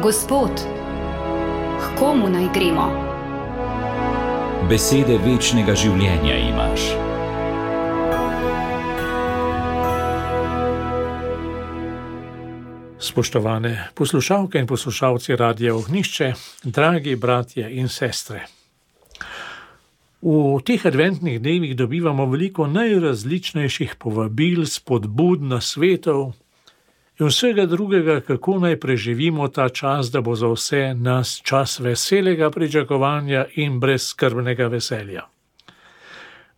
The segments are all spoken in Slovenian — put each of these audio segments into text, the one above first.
Gospod, k komu naj gremo? Besede večnega življenja imaš. Spoštovane poslušalke in poslušalci Radia Ognjišče, dragi bratje in sestre. V teh adventnih dnevih dobivamo veliko najrazličnejših povabil, spodbud, nasvetov in vsega drugega, kako naj preživimo ta čas, da bo za vse nas čas veselega pričakovanja in brezskrbnega veselja.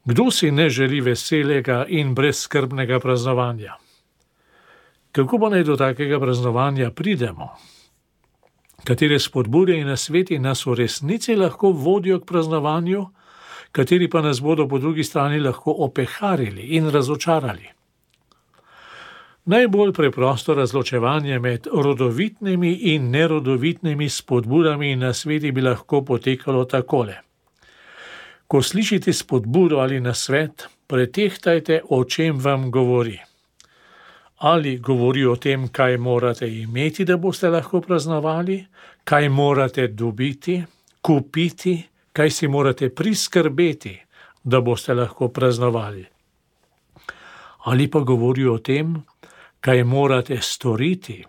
Kdo si ne želi veselega in brezskrbnega praznovanja? Kako pa naj do takega praznovanja pridemo? Katere spodbude in nasveti nas v resnici lahko vodijo k praznovanju, kateri pa nas bodo po drugi strani lahko opeharili in razočarali? Najbolj preprosto razločevanje med rodovitnimi in nerodovitnimi spodbudami in nasveti bi lahko potekalo takole. Ko slišite spodbudo ali nasvet, pretehtajte, o čem vam govori. Ali govori o tem, kaj morate imeti, da boste lahko praznovali, kaj morate dobiti, kupiti, kaj si morate priskrbeti, da boste lahko praznovali. Ali pa govori o tem, kaj morate storiti,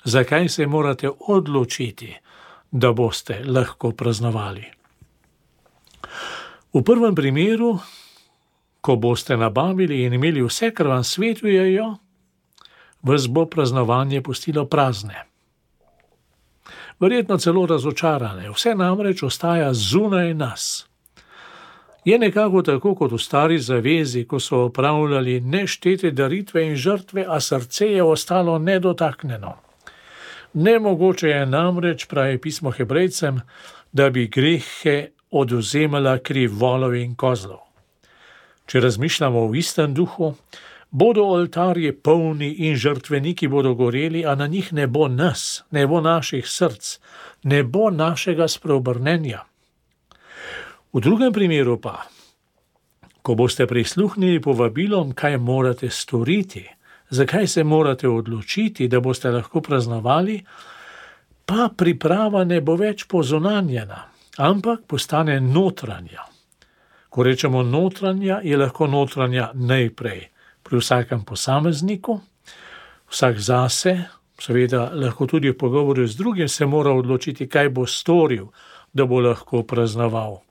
zakaj se morate odločiti, da boste lahko praznovali. V prvem primeru, ko boste nabavili in imeli vse, kar vam svetujejo, vas bo praznovanje pustilo prazne. Verjetno celo razočarane, vse namreč ostaja zunaj nas. Je nekako tako kot v stari zavezi, ko so opravljali neštete daritve in žrtve, a srce je ostalo nedotaknjeno. Nemogoče je namreč, pravi pismo Hebrejcem, da bi grehe odvzemala kri volov in kozlov. Če razmišljamo v istem duhu, bodo oltarji polni in žrtveniki bodo goreli, a na njih ne bo nas, ne bo naših src, ne bo našega spreobrnenja. V drugem primeru pa, ko boste prisluhnili povabilom, kaj morate storiti, zakaj se morate odločiti, da boste lahko praznovali, pa priprava ne bo več pozunanjena, ampak postane notranja. Ko rečemo notranja, je lahko notranja najprej pri vsakem posamezniku, vsak zase, seveda lahko tudi v pogovoru z drugim se mora odločiti, kaj bo storil, da bo lahko praznoval.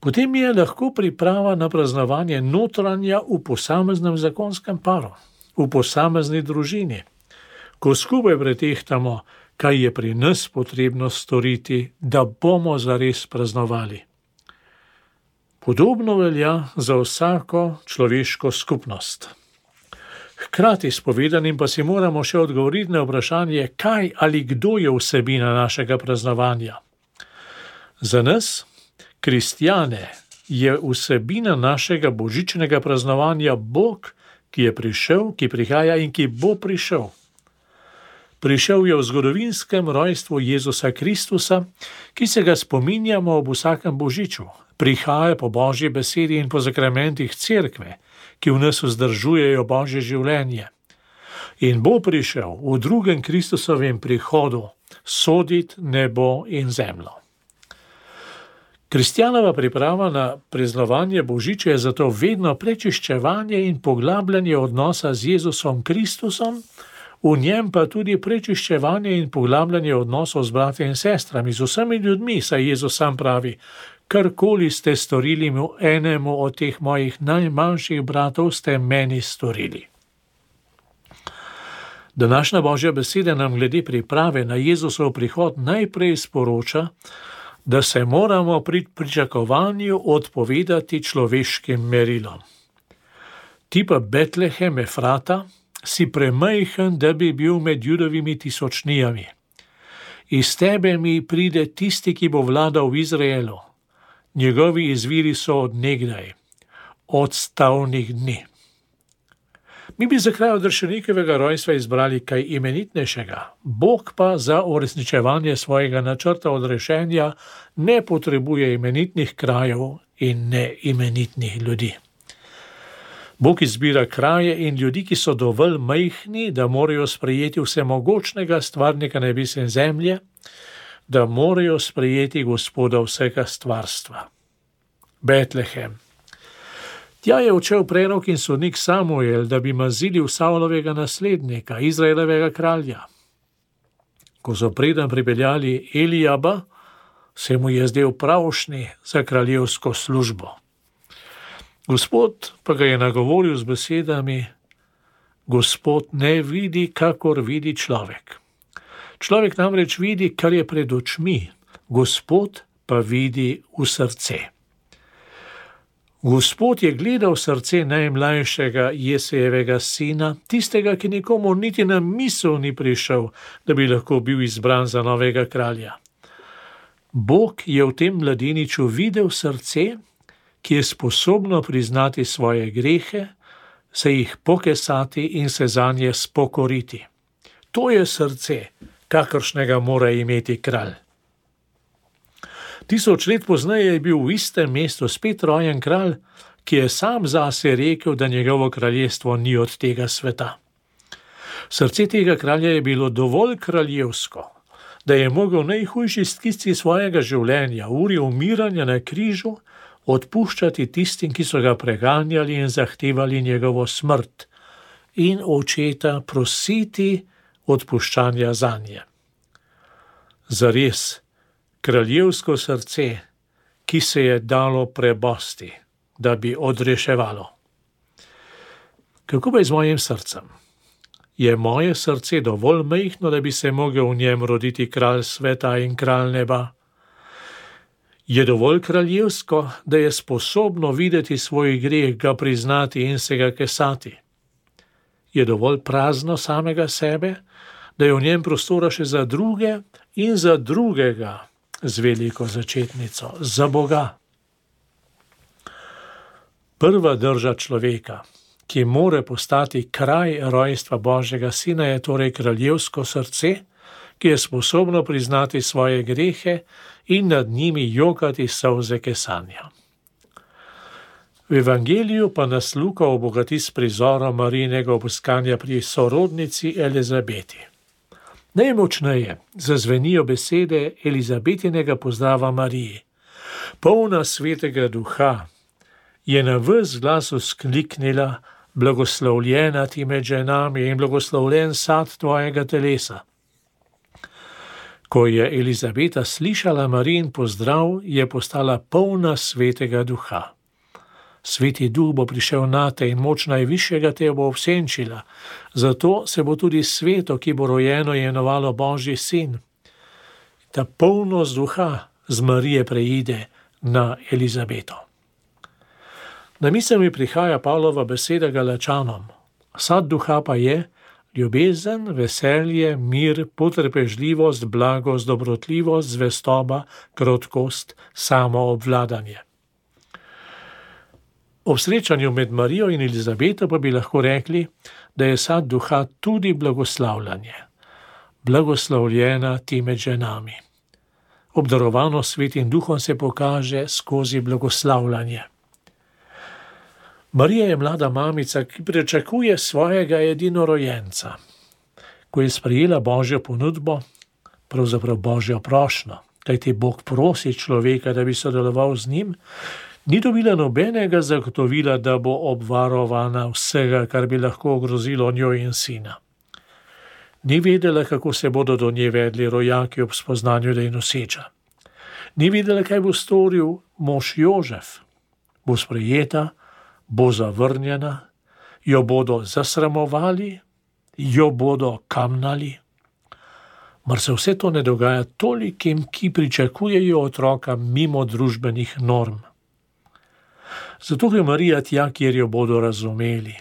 Potem je lahko priprava na praznovanje notranja v posameznem zakonskem paru, v posamezni družini, ko skupaj pretehtamo, kaj je pri nas potrebno storiti, da bomo zares praznovali. Podobno velja za vsako človeško skupnost. Hkrati s povedanim pa si moramo še odgovoriti na vprašanje, kaj ali kdo je vsebina našega praznovanja. Za nas, kristjane, je vsebina našega božičnega praznovanja Bog, ki je prišel, ki prihaja in ki bo prišel. Prišel je v zgodovinskem rojstvu Jezusa Kristusa, ki se ga spominjamo ob vsakem božiču. Prihaja po Božji besedi in po zakramentih cerkve, ki v nas vzdržujejo Božje življenje. In bo prišel v drugem Kristusovem prihodu soditi nebo in zemljo. Kristjanova priprava na praznovanje božiča je zato vedno prečiščevanje in poglabljanje odnosa z Jezusom Kristusom, v njem pa tudi prečiščevanje in poglabljanje odnosov z brati in sestrami, z vsemi ljudmi, saj Jezus sam pravi: karkoli ste storili enemu od teh mojih najmanjših bratov, ste meni storili. Današnja Božja beseda nam glede priprave na Jezusov prihod najprej sporoča, da se moramo pri pričakovanju odpovedati človeškim merilom. Ti pa, Betlehem Efrata, si premajhen, da bi bil med Judovimi tisočnijami. Iz tebe mi pride tisti, ki bo vladal v Izraelu. Njegovi izviri so od nekdaj, od stavnih dni. Mi bi za kraj odrešenikovega rojstva izbrali kaj imenitnejšega. Bog pa za uresničevanje svojega načrta odrešenja ne potrebuje imenitnih krajev in neimenitnih ljudi. Bog izbira kraje in ljudi, ki so dovolj majhni, da morajo sprejeti vsemogočnega stvarnika nebesa in zemlje, da morajo sprejeti Gospoda vsega stvarstva. Betlehem. Tja je odšel prerok in sodnik Samuel, da bi mazilil Savlovega naslednika, Izraelovega kralja. Ko so preden pripeljali Elijaba, se mu je zdel pravšnji za kraljevsko službo. Gospod pa ga je nagovoril z besedami: Gospod ne vidi, kakor vidi človek. Človek namreč vidi, kar je pred očmi, Gospod pa vidi v srce. Gospod je gledal srce najmlajšega Jesejevega sina, tistega, ki nikomu niti na misel ni prišel, da bi lahko bil izbran za novega kralja. Bog je v tem mladeniču videl srce, ki je sposobno priznati svoje grehe, se jih pokesati in se zanje spokoriti. To je srce, kakršnega mora imeti kralj. 1000 let pozneje je bil v istem mestu spet rojen kralj, ki je sam zase rekel, da njegovo kraljestvo ni od tega sveta. Srce tega kralja je bilo dovolj kraljevsko, da je mogel v najhujši stiski svojega življenja, uri umiranja na križu, odpuščati tistim, ki so ga preganjali in zahtevali njegovo smrt, in očeta prositi odpuščanja zanje. Zares, kraljevsko srce, ki se je dalo prebosti, da bi odreševalo. Kako pa je z mojim srcem? Je moje srce dovolj majhno, da bi se mogel v njem roditi kralj sveta in kralj neba? Je dovolj kraljevsko, da je sposobno videti svoj greh, ga priznati in se ga kesati? Je dovolj prazno samega sebe, da je v njem prostora še za druge in za drugega, z veliko začetnico, za Boga? Prva drža človeka, ki more postati kraj rojstva Božjega sina, je torej kraljevsko srce, ki je sposobno priznati svoje grehe in nad njimi jokati solze kesanja. V evangeliju pa nas Luka obogati s prizorom Marijinega obiskanja pri sorodnici Elizabeti. Najmočneje zazvenijo besede Elizabetinega pozdrava Mariji. Polna svetega duha je na ves glas vzkliknila: blagoslovljena ti med ženami in blagoslovljen sad tvojega telesa. Ko je Elizabeta slišala Marijin pozdrav, je postala polna svetega duha. Sveti duh bo prišel nate in moč najvišjega te bo obsenčila, zato se bo tudi sveto, ki bo rojeno, imenovalo Božji sin. Ta polnost duha z Marije preide na Elizabeto. Na misel mi prihaja Pavlova beseda Galačanom. Sad duha pa je ljubezen, veselje, mir, potrpežljivost, blagost, dobrotljivost, zvestoba, krotkost, samoobvladanje. Ob srečanju med Marijo in Elizabeto pa bi lahko rekli, da je sad duha tudi blagoslavljanje. Blagoslovljena ti med ženami. Obdarovano svetim duhom se pokaže skozi blagoslavljanje. Marija je mlada mamica, ki pričakuje svojega edinorojenca. Ko je sprejela Božjo ponudbo, pravzaprav Božjo prošnjo, kajti Bog prosi človeka, da bi sodeloval z njim, ni dobila nobenega zagotovila, da bo obvarovana vsega, kar bi lahko ogrozilo njo in sina. Ni vedela, kako se bodo do nje vedli rojaki ob spoznanju, da je noseča. Ni vedela, kaj bo storil mož Jožef. Bo sprejeta, bo zavrnjena, jo bodo zasramovali, jo bodo kamnali. Mar se vse to ne dogaja tolikim, ki pričakujejo otroka mimo družbenih norm. Zato je Marija tja, kjer jo bodo razumeli.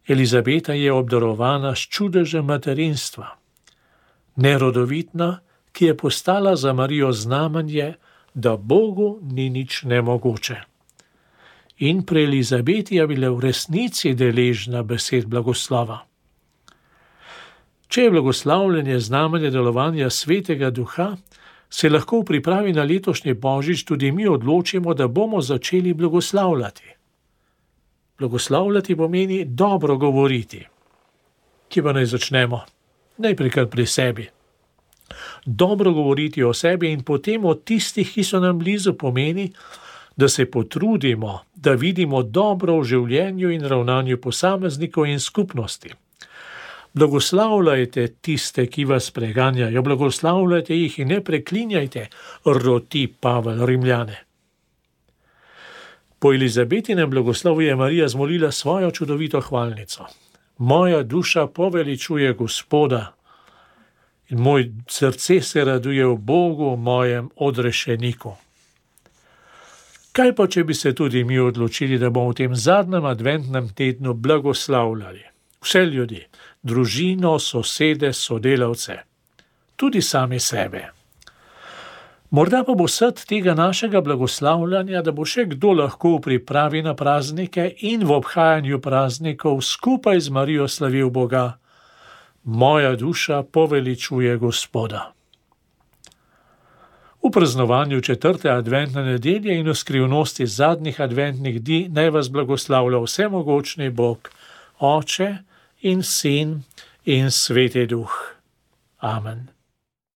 Elizabeta je obdarovana s čudežem materinstva. Nerodovitna, ki je postala za Marijo znamenje, da Bogu ni nič nemogoče. In pri Elizabeti je bila v resnici deležna besed blagoslova. Če je blagoslavljanje znamenje delovanja svetega duha, se lahko v pripravi na letošnji božič tudi mi odločimo, da bomo začeli blagoslavljati. Blagoslavljati pomeni dobro govoriti. Kje pa naj začnemo? Najprej kar pri sebi. Dobro govoriti o sebi in potem o tistih, ki so nam blizu, pomeni, da se potrudimo, da vidimo dobro v življenju in ravnanju posameznikov in skupnosti. Blagoslavljajte tiste, ki vas preganjajo, blagoslavljajte jih in ne preklinjajte, roti Pavel Rimljane. Po Elizabetinem blagoslovu je Marija zmolila svojo čudovito hvalnico. Moja duša poveličuje Gospoda in moj srce se raduje v Bogu, mojem odrešeniku. Kaj pa, če bi se tudi mi odločili, da bomo v tem zadnjem adventnem tednu blagoslavljali vse ljudi, družino, sosede, sodelavce, tudi sami sebe. Morda pa bo srd tega našega blagoslavljanja, da bo še kdo lahko v pripravi na praznike in v obhajanju praznikov skupaj z Marijo slavil Boga. Moja duša poveličuje Gospoda. V praznovanju 4. adventne nedelje in v skrivnosti zadnjih adventnih dni naj vas blagoslavlja vsemogočni Bog, Oče in Sin in Sveti Duh. Amen.